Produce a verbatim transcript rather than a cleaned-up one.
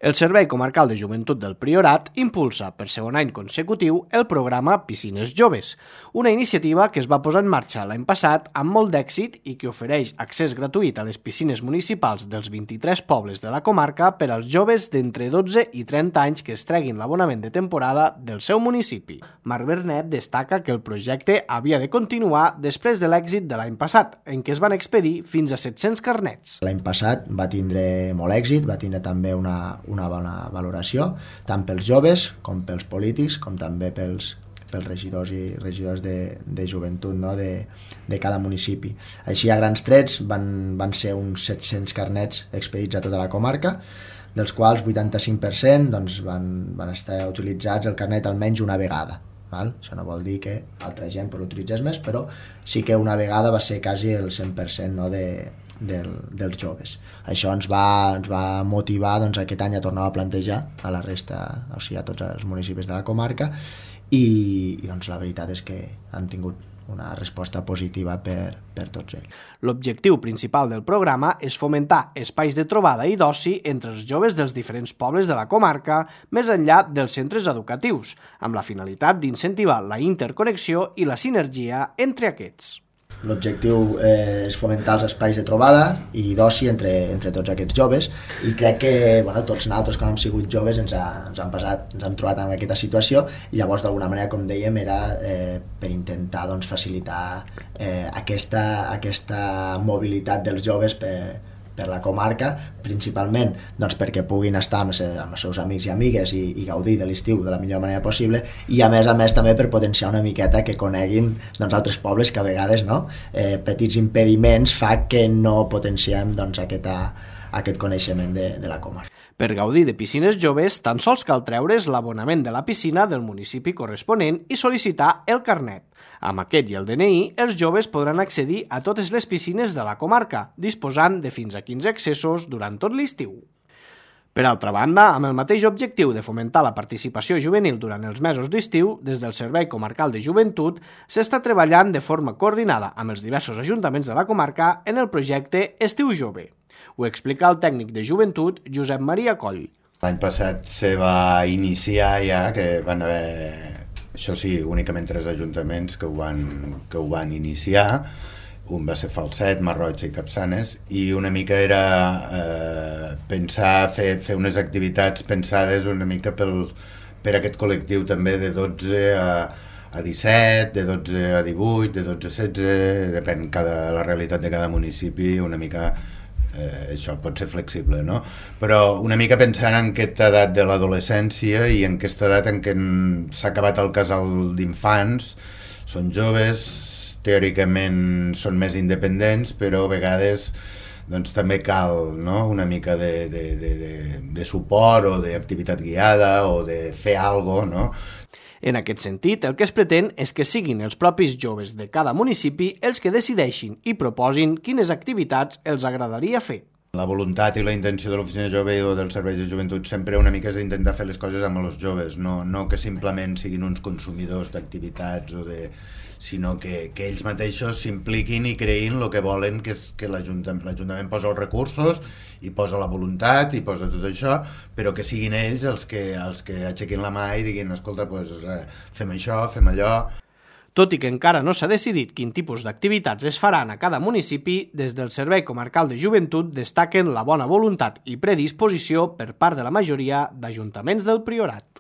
El Servei Comarcal de Joventut del Priorat impulsa per segon any consecutiu el programa Piscines Joves, una iniciativa que es va posar en marxa l'any passat amb molt d'èxit i que ofereix accés gratuït a les piscines municipals dels vint-i-tres pobles de la comarca per als joves d'entre dotze i trenta anys que es treguin l'abonament de temporada del seu municipi. Marc Bernet destaca que el projecte havia de continuar després de l'èxit de l'any passat, en què es van expedir fins a set-cents carnets. L'any passat va tindre molt èxit, va tindre també una una bona valoració, tant pels joves com pels polítics, com també pels, pels regidors i regidors de, de joventut, no? de, de cada municipi. Així, a grans trets, van, van ser uns set-cents carnets expedits a tota la comarca, dels quals vuitanta-cinc per cent doncs, van, van estar utilitzats el carnet almenys una vegada. Val? Això no vol dir que altra gent per l'utilitzés més, però sí que una vegada va ser quasi el cent per cent, no? de, del, dels joves. Això ens va, ens va motivar doncs, aquest any a tornar a plantejar a la resta, o sigui, a tots els municipis de la comarca i, i doncs, la veritat és que han tingut una resposta positiva per, per tots ells. L'objectiu principal del programa és fomentar espais de trobada i d'oci entre els joves dels diferents pobles de la comarca, més enllà dels centres educatius, amb la finalitat d'incentivar la interconnexió i la sinergia entre aquests. L'objectiu eh, és fomentar els espais de trobada i d'oci entre, entre tots aquests joves i crec que bueno, tots nosaltres quan hem sigut joves ens, ha, ens, han passat, ens hem trobat en aquesta situació i llavors d'alguna manera, com dèiem, era eh, per intentar doncs, facilitar eh, aquesta, aquesta mobilitat dels joves per, per la comarca, principalment doncs, perquè puguin estar amb, amb els seus amics i amigues i, i gaudir de l'estiu de la millor manera possible i a més a més també per potenciar una miqueta que coneguin doncs, altres pobles que a vegades no, eh, petits impediments fa que no potenciem doncs, aquesta, aquest coneixement de, de la comarca. Per gaudir de piscines joves, tan sols cal treure's l'abonament de la piscina del municipi corresponent i sol·licitar el carnet. Amb aquest i el D N I, els joves podran accedir a totes les piscines de la comarca, disposant de fins a quinze accessos durant tot l'estiu. Per altra banda, amb el mateix objectiu de fomentar la participació juvenil durant els mesos d'estiu, des del Servei Comarcal de Joventut s'està treballant de forma coordinada amb els diversos ajuntaments de la comarca en el projecte Estiu Jove. Ho explica el tècnic de joventut Josep Maria Coll. L'any passat se va iniciar ja, que van haver, això sí, únicament tres ajuntaments que ho van, que ho van iniciar. Un va ser Falset, Marroig i Capçanes, i una mica era eh, pensar, fer, fer unes activitats pensades una mica pel, per aquest col·lectiu també de dotze a, a disset, de dotze a divuit, de dotze a setze, depèn cada, la realitat de cada municipi, una mica eh, això pot ser flexible, no? Però una mica pensant en aquesta edat de l'adolescència i en aquesta edat en què s'ha acabat el casal d'infants, són joves, teòricament són més independents, però a vegades doncs, també cal no? una mica de, de, de, de, de suport o d'activitat guiada o de fer alguna cosa, no? En aquest sentit, el que es pretén és que siguin els propis joves de cada municipi els que decideixin i proposin quines activitats els agradaria fer. La voluntat i la intenció de l'Oficina Jove o dels serveis de joventut sempre una mica és intentar fer les coses amb els joves, no, no que simplement siguin uns consumidors d'activitats o de... sinó que, que ells mateixos s'impliquin i creïn el que volen, que és que l'Ajuntament l'Ajuntament posa els recursos i posa la voluntat i posa tot això, però que siguin ells els que, els que aixequin la mà i diguin, escolta, pues, eh, fem això, fem allò. Tot i que encara no s'ha decidit quin tipus d'activitats es faran a cada municipi, des del Servei Comarcal de Joventut destaquen la bona voluntat i predisposició per part de la majoria d'ajuntaments del Priorat.